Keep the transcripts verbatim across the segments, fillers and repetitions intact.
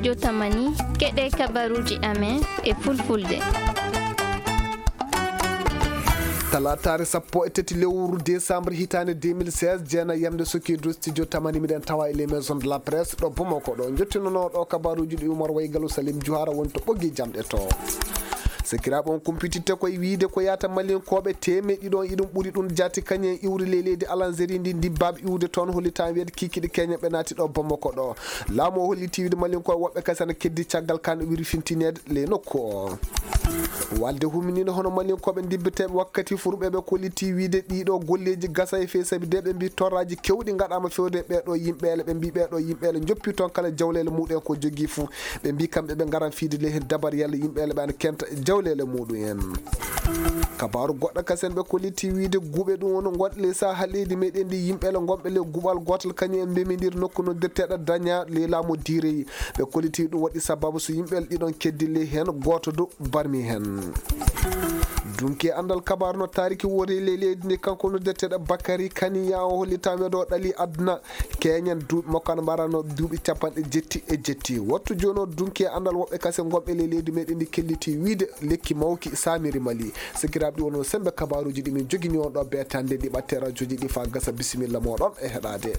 Jotamani, keɗee kabaruuji amen e fulfulde. Talaataare sappo e tati lewru desambre hitaande deux mille seize, jeena yamde suki du studio tamani miɗen tawa e les maisons de la presse ɗo Bamako ɗo. Njottinonoo ɗo kabaruuji ɗi Umar Waygalu Salim Juhara woni to ɓoggi jamɗe to. Sakiraaɓe, on kumpititte koye wiyde ko yaata Malinkooɓe teemeɗɗe ɗiɗi on iɗum ɓuri ɗum jaati kañum en iwri ley leydi Alanzeri ndi ndibbaaɓe iwde toon hollitaa weeɗ kiikiiɗe keñen ɓe naati ɗo Bamako ɗo. Laamu o hollitii wiyde Malinkooɓe woɓɓe kasen ana keddi caggal kaan wirfintineede ley nokku o. Walde huminiino hono Malinkooɓe ndibbeteeɓe wakkati fuu ɓe ɓe kollitii wiyde ɗiiɗo golleeji gasa e fee sabi de ɓe mbii torraaji kewɗi ngaɗaama fewde ɓee ɗoo yimɓeele ɓe mbii ɓee ɗoo yimɓeele njoppi toon kala jawleele muuɗum en ko jogii fuu. Ɓe mbii kamɓe ɓe ngaran fiide ley heen dabar yalla yimɓeele ɓe ana kenta jawleele muuɗum en. Kabaaru goɗɗo kasen ɓe kollitii wiyde guuɓe ɗum woni ngonɗe ley saha leydi meɗen ndi yimɓeele ngonɓe ley guuɓal gootal kañum en mbemindiri nokku noddirteeɗo Daña ley laamu Diireyi. Ɓe kollitii ɗum waɗi sababu so yimɓeele ɗiɗon keddi ley heen gooto du barmi heen. Dunki anndal kabaaru no taariki wori ley leydi ndi kanko noddirteeɗo Bakari Kani yaa o hollitaa weedo ɗali aduna. Keñen duuɓi makko ana mbarano duuɓi capanɗe jetti e jetti. Wattu jooni o dunki e anndal woɓɓe kasen ngonɓe ley leydi meɗen ndi kellitii wiyde lekki mawki saamiri Mali. Sakiraaɓe, ɗi wonno sembe kabaaruuji ɗi min jogini on ɗo beetande ɗi ɓatte rajoji ɗi faa gasa. Bisimilla mooɗon e heɗaade.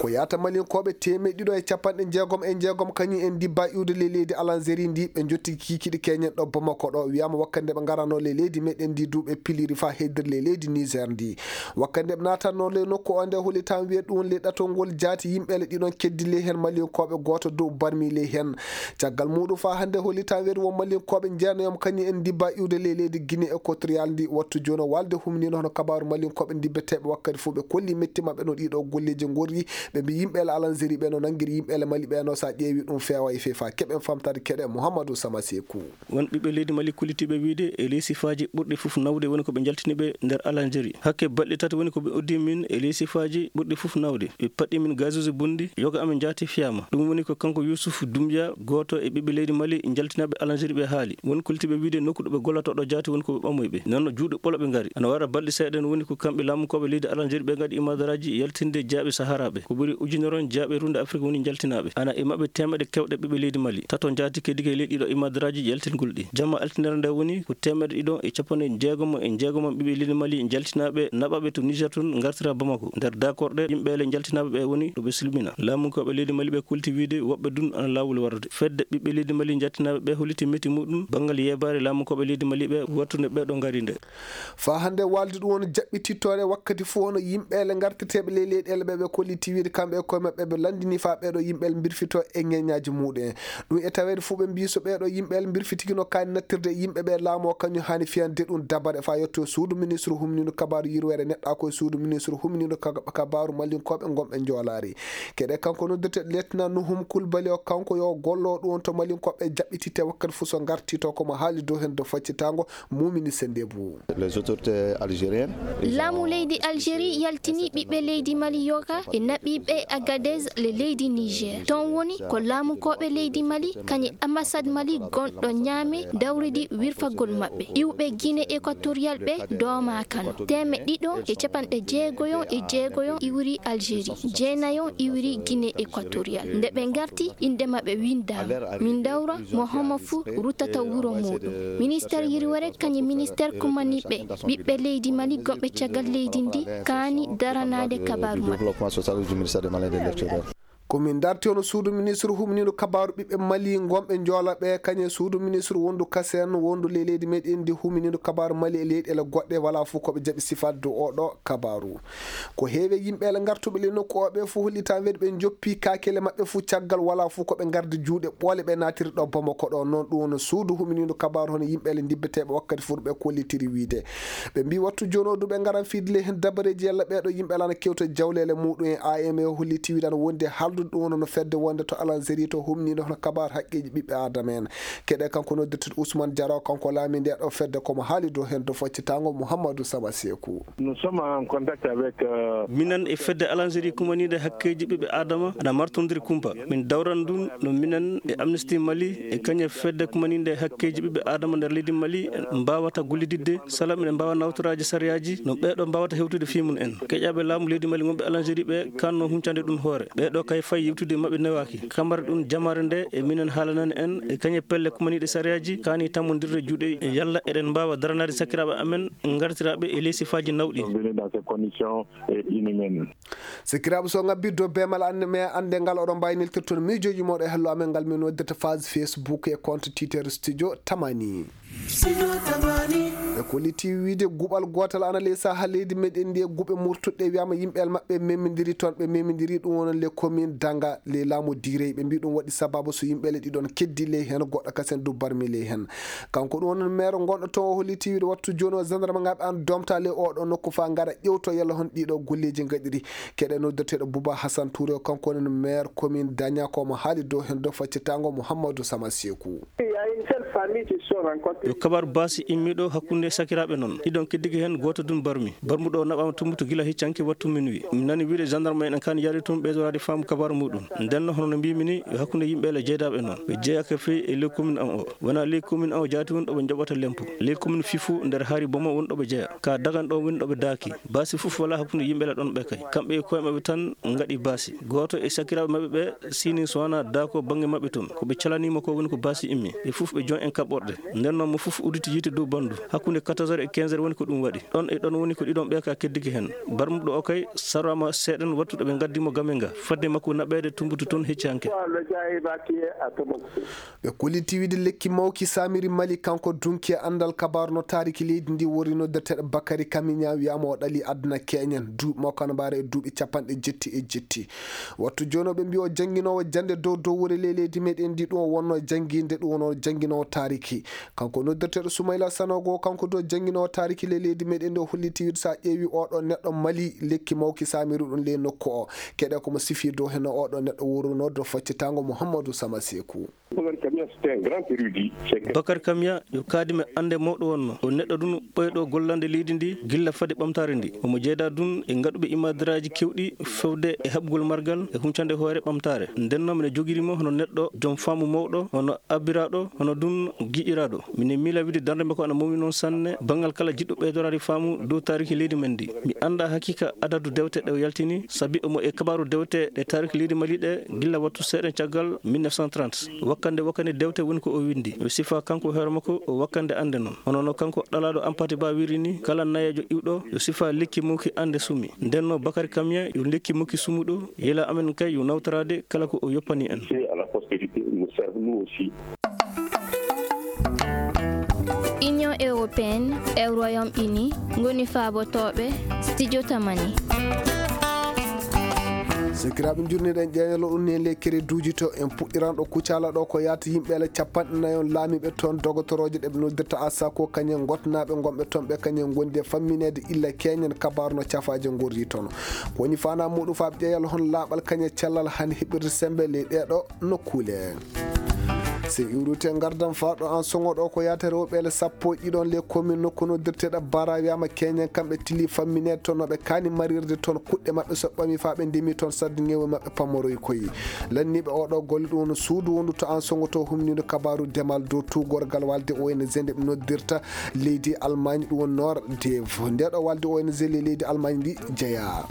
Ko yaata Malinkooɓe teemeɗɗe ɗiɗo e capanɗe jeegom e jeegom kañum en ndibba iwde ley leydi Alanzeri ndi ɓe njotti kiikiiɗe keñen ɗo Bamako ɗo. Wiyaama wakkati nde ɓe ngarano ley leydi meɗen ndi duuɓe piliri faa heddiri ley leydi Niger ndi. Wakkati nde ɓe naatanno ley nokku o nde hollitaa weedu ɗum ley ɗatol ngol jaati yimɓeele ɗiɗon keddi ley heen Malinkooɓe gooto dow barmi ley heen. Caggal muuɗum faa hannde hollitaa weedu won Malinkooɓe njeenayo kañum en ndibba iwde ley leydi Guinée Équatoriale ndi. Wattu jooni o walde humniino hono kabaaru Malinkooɓe ndibbeteeɓe wakkati fof ɓe kolli metti maɓɓe no ɗiɗo golleeji ngorri. Ɓe mbii yimɓeele Alanzeri ɓe no nanngiri yimɓeele Mali ɓe no so a ƴeewi ɗum feewa e feefa. Keɓen famtaade keɗe Mouhamadou Sama Sekou. Won ɓiɓɓe leydi Mali kollitiiɓe wiyde e ley sifaaji ɓurɗi fof nawde woni ko ɓe njaltini ɓe nder Alanzeri. Hakke balɗe tati woni ko ɓe uddi min e ley sifaaji ɓurɗi fof nawde. Ɓe paɗɗi min gazuuji bonɗi, yoga amen jaati fiyaama. Ɗum woni ko kanko Yuusuf Dumbiya, gooto e ɓiɓɓe leydi Mali njaltinaaɓe Alanzeri ɓe haali. Won kollitiiɓe wiyde nokku ɗo ɓe gollata ɗo jaati woni ko ɓe ɓamoyi ɓe. Nden no juuɗe ɓolo ɓe ngari. Ana wara balɗe seeɗa en woni ko kamɓe laamunkooɓe leydi Alanzeri ɓe ngaɗi imadaraaji yaltinde jiyaaɓe Saharaaɓe. Ko ɓuri ujunere on jiyaaɓe e ruunde Afrik woni njaltinaaɓe. Ana e maɓɓe teemeɗɗe kewɗe ɓiɓɓe leydi Mali. Tato njaati keddi e ley ɗiɗo imadaraaji yaltingol ɗi. Jamma altinere nde woni ko teemeɗɗe ɗiɗo e capanɗe jeegom e jeegom ɓiɓɓe leydi Mali njaltinaaɓe naɓaaɓe to Niger toon ngartira Bamako. Nder daakorɗe yimɓeele njaltinaaɓe ɓe woni ɗo ɓe silmina. Laamunkooɓe leydi Mali ɓe kolti wiyde woɓɓe dun ana laawol warde. Fedde ɓiɓɓe leydi Mali njaltinaaɓe ɓe holliti metti muɗum banngal yeebaare laamunkooɓe leydi Mali ɓe wattunde ɓe ɗo ngari nde. Faa hannde waalde ɗum woni jaɓɓitittoore wakkati fof hono yimɓeele ngarteteeɓe ley leyɗeele ɓe, ɓe kolliti wiyde kamɓe e koye maɓɓe ɓe lanndini faa ɓee ɗo yimɓeele mbirfitoo e ŋeññaaji muuɗum en. Ɗum e taweede fof ɓe mbii so ɓee ɗo yimɓeele mbirfitikino kaani nattirde e yimɓe ɓe, laamu o kañum haani fiyande ɗum dabare faa yetto suudu ministre humniindu kabaaru yirweere neɗɗaaku e suudu ministre humniindu ka-, kabaaru Malinkooɓe ngonɓe Njoolaari. Keɗe kanko noddirte Lieutenant Nuhum Kulbali o, kanko yo gollo ɗum woni to Malinkooɓe jaɓɓititte wakkati fof so ngarti to ko mo haali dow heen dow faccitaango. Mumini Sendebu. Les autorités algériennes. Laamu leydi Algérie yaltini ɓiɓɓe leydi Mali yoga e naɓiiɓe Agadez le leydi Niger. Toon woni ko laamukooɓe leydi Mali kañe ambassade Mali gonɗo Niamey dawridi wirfagol maɓɓe. Iwɓe Guinée Équatoriale ɓe doomaakano. Teemeɗɗe ɗiɗo e capanɗe jeegoyon e jeegoyon iwri Algérie. Jeenayon iwri Guinée Équatoriale. Nde ɓe ngarti, innde maɓɓe winndaama. Min ndawra mo homo fuu ruttata wuro muuɗum. Ministeer yirwere kañum e ministeer kumaniiɓe ɓiɓɓe leydi Mali gonɓe caggal leydi ndi kaani daranaade kabaaru maɓɓe. Ko min ndarti hono suudu ministre humniiɗo kabaaru ɓiɓɓe Mali ngonɓe Njoola ɓe, kañum e suudu ministre wondu kasen wondu ley leydi meɗen ndi humniiɗo kabaaru Mali e leyɗeele goɗɗe, walaa fof ko ɓe jaɓi sifaade dow oo ɗoo kabaaru. Ko heewi e yimɓeele ngartuɓe ley nokku oo ɓee fof hollitaa weedu ɓe njoppi kaakele maɓɓe fof caggal walaa fof ko ɓe ngardi juuɗe ɓoole ɓe naatiri ɗo Bamako ɗo. Noon ɗum woni suudu huminiindu kabaaru hono yimɓeele ndibbeteeɓe wakkati fof ɓe kollitiri wiyde. Ɓe mbii wattu jooni o du ɓe ngaran fiide ley heen dabareeji yalla ɓee ɗoo yimɓe alaa no kewta jawleele muuɗum en. A M E holliti wiyde ana wondi e haaldude ɗum woni no fedde wonde to Alanzeri to humniinde hono kabaaru haqqeeji ɓiɓɓe Aadama en. Keɗe kanko noddirteeɗo Ousmane Diaro, kanko laamii ndee ɗoo fedde, ko mo haali dow heen dow faccitaango Mouhamadou Saba Seeku. Nous sommes en contact avec, euh, minen e fedde Alanzeri kumaniinde hakkeeji ɓiɓɓe Aadama ana martondiri kumpa. Min dawran ɗum no minen e Amnesty Mali e kañum e fedde kumaniinde hakkeeji ɓiɓɓe Aadama nder leydi Mali mbaawata gollididde, sala miɗen mbaawa nawtoraaji sariyaaji no ɓee ɗoo mbaawata hewtude fii mum en. Keƴaaɓe laamu leydi Mali wonɓe Alanzeri ɓe kaanno huncande ɗum hoore. Ɓee ɗoo kay pay yewtude maɓɓe newaaki. Kamar ɗum jamaare nde e minen haalanani en e kañe pelle kumaniiɗe sariyaaji kaani tammondirde juuɗe. Yalla eɗen mbaawa daranaade sakiraaɓe amen ngartiraaɓe e ley sifaaji nawɗi. Venir dans ces conditions, eh, inhumaines. Sikiraaɓe, so ŋabbii dow beemal an, mais annde ngal oɗon mbaawi neltirde toon miijooji mooɗon e hello amen ngal min noddirta page Facebook e compte Twitter Studio Tamani. Studio Tamani. Ɓe kolliti wiide guɓal gootal ana ley sahaa leydi meɗen ndi e guɓe murtuɗe wiyaama yimɓe maɓɓe memindiri toon, ɓe memindiri ɗum wonon les communes Danga, les laamu Direy. Ɓe mbii ɗum waɗi sababu so yimɓe le ɗiɗon keddi ley heen, goɗɗo kasen du barmi ley heen. Kanko ɗum woni maire gonɗo toon, o holliti wiide wattu jooni o gendarme ngaaɓe an domta ley oɗo nokku faa ngara ƴewto yalla hon ɗiɗo golleeji ngaɗiri. Keɗe noddeteeɗo Bouba Hassan Touré, o kanko woni maire commune Dagna, ko mo haali dow heen dow faccitaango Mouhamadou Sama Sekou. Il y a une seule famille qui se sont rencontrées. Yo kabaaru baasi immi ɗo hakkunde sakiraaɓe non. Ɗiɗon keddike heen, gooto dun barmi. Barmuɗo o naɓaama Tumbutu gila heccanke wattu minuit. Mi nani wiide gendarme en en kan yaari tun ɓeydoraade faamu kabaaru muɗum. Nden no hono no mbiimi ni, yo hakkunde yimɓe le jeydaaɓe non. Ɓe jeyaaka fey e ley commune an o. Wonaa ley commune an o jaati woni ɗo ɓe njoɓata lempo. Ley commune fii fuu nder Haari Boma woni ɗo ɓe jeya. Ka Dagan ɗo woni ɗo ɓe daaki. Baasi fuf walaa hakkunde yimɓe le ɗon ɓe kay. Kamɓe e koye maɓɓe tan ngaɗi baasi. Gooto e sakiraaɓe maɓɓe ɓe siini so wanaa daako bannge maɓɓe tun. Ko ɓe calaniima ko woni ko baasi immi. Ɓe fuf ɓe jon en kaɓɓorɗe. Nden non mo fuf udditi yiite dow bandu. Hakkunde quatorze heures e quinze heures woni ko ɗum waɗi. Ɗon e ɗon woni ko ɗiɗon ɓe ka keddike hen. Barmuɗo o kay sarama seeɗan wattu ɗo ɓe ngaddi mo game nga. Fadde makko naɓeede Tumbutu tun hecci hanke. Ɓe kolliti wiide lekki mawki saamiri Mali, kanko dunki e anndal kabaaru no taariki leydi ndi wori noddeteeɗo Bakary Kamiña wiyaama o ɗali aduna keeñen. Duuɓi makko ana mbaara e duuɓi capanɗe jetti e jetti. Wattu jooni o ɓe mbii o jannginoowo jannde dow dow wure ley leydi meɗen ndi ɗum o wonnoo jannginde ɗum wonoo jannginoowo taariki. Kanko noddeteeɗo Soumaïla Sanogo, kanko dow jannginoowo taariki ley leydi meɗen ndi o holliti wiide so a ƴeewi oɗo neɗɗo Mali lekki mawki saamiri ɗum ley nokku o. Keɗe ko mo sifi dow heno oɗo neɗɗo wurunoo dow faccitaango Mouhamadou Sama Sekou. Bakar Kamia, c'est un grand érudit. Bakar Kamia yo kaadime annde mawɗo wonno. O neɗɗo ɗum ɓooyɗo gollande leydi ndi gilla fade ɓamtaare ndi. Omo jeedaa ɗum e ngaɗuɓe imaadaraaji keewɗi fewde e haɓugol margal e huncande hoore ɓamtaare. Nden noon mino jogiri mo hono neɗɗo joom faamu mawɗo, hono abbiraaɗo, hono ɗum giƴiraaɗo. Mino miila wiide darnde makko ana mawni noon sanne banngal kala jiɗɗo ɓeydoraade faamu dow taariki leydi men ndi. Mi anndaa hakiika adadu dewte ɗe o yaltini, sabi omo e kabaaru dewte ɗe taariki leydi Mali ɗe gilla wattu seeɗa caggal mille neuf cent trente. Wakkande wakkande dewte woni ko o winndi. Yo sifaa kanko hoore makko o wakkande annde non. Hono no kanko ɗalaaɗo Ampati Ba wiiri ni, kala nayeejo iwɗo yo sifaa lekki mawki annde sumi. Nden no Bakary Kamia yo lekki mawki sumuɗo, yela amen kay yo nawtoraade kala ko o yoppani en. C'est à la postérité, il nous sert nous aussi. Union européenne e Royaume-Uni ngoni faabotooɓe Studio Tamani. Sakiraaɓe, njurniɗen ƴeeñal on e ley kereduuji to en puɗɗiran ɗo Kucala ɗo ko yaata yimɓe ala capanɗe nayon laamiiɓe toon dogotorooje ɗe ɓe noddirta Asako kañen gotnaaɓe ngonɓe toon ɓe kañen ngondi e fammineede illa keeñen kabaaru no cafaaje ngorri toon. Ko woni faanaa muɗum faa ɓe ƴeeñal hon laaɓal kañe cellal hande heɓirde sembe ley ɗee ɗo nokkuule. So iwrute ngardan faa ɗo an soŋo ɗo ko yaata rewɓe le sappo e ɗiɗon le commune nokku noddirteeɗo Bara wiyaama keeñen kamɓe tili fammineede toon no ɓe kaani marirde toon kuɗɗe maɓɓe so ɓami faa ɓe ndemi toon sadde ŋewe maɓɓe pamoroy koyi. Lanniiɓe oo ɗoo golle ɗum woni suudu wondu to an soŋo to humniindo kabaaru demal dow tuugorgal walde O N G nde ɓe noddirta leydi Almaañ ɗum woni Nord Dev. Ndee ɗoo walde O N G le leydi Almaañ ndi jeyaa.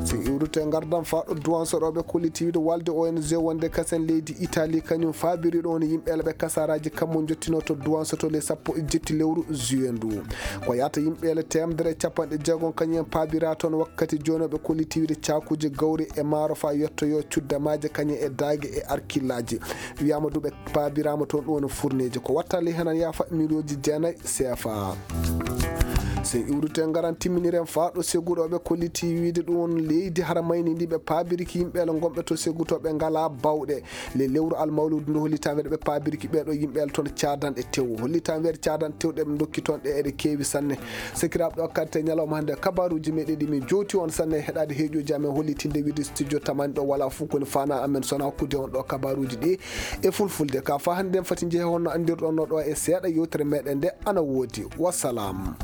So iwrute ngardan faa ɗo Duwanso ɗo ɓe kolliti wiide walde O N G wonde kasen leydi Italie kañum faabiri ɗo woni yimɓe ɓe kasaaraaji kammu njottinoo to Duwanso to le sappo e jetti lewru juillet ndu. Ko yaata yimɓe le teemedere e capanɗe jeegom kañum en paabiraa toon wakkati jooni ɓe kolliti wiide caakuuji gawri e maaro faa yettoyoo cuddamaaje kañum e daage e arkillaaji. Wiyaama du ɓe paabiraama toon ɗum woni furneeji ko wattali henan yaafa miliyonji jeenayi C F A. So iwrute ngaran timminiren faa ɗo Segu ɗo ɓe kolliti wiide ɗum won leydi hara mayni ndi ɓe paabiriki yimɓe le ngonɓe to Segu to ɓe ngalaa bawɗe. Le lewru almawludu ndu hollitaa wiide ɓe paabiriki ɓee ɗo yimɓe le toon caadanɗe tew. Hollitaa wiide caadanɗe tew ɗe ɓe ndokki toon ɗe eɗe keewi sanne. Sakiraaɓe, ɗo kadi e ñalawma hannde kabaaruuji meɗen ɗi min jowti on sanne e heɗaade heeƴooji amen hollitinde wiide studio tamani ɗo walaa fof ko woni faanaa amen so wanaa hokkude on ɗo kabaaruuji ɗi e fulfulde. Ka faa hannde en fati njehe honno anndirɗon no ɗo e seeɗa yewtere meɗen nde ana woodi. Wassalam.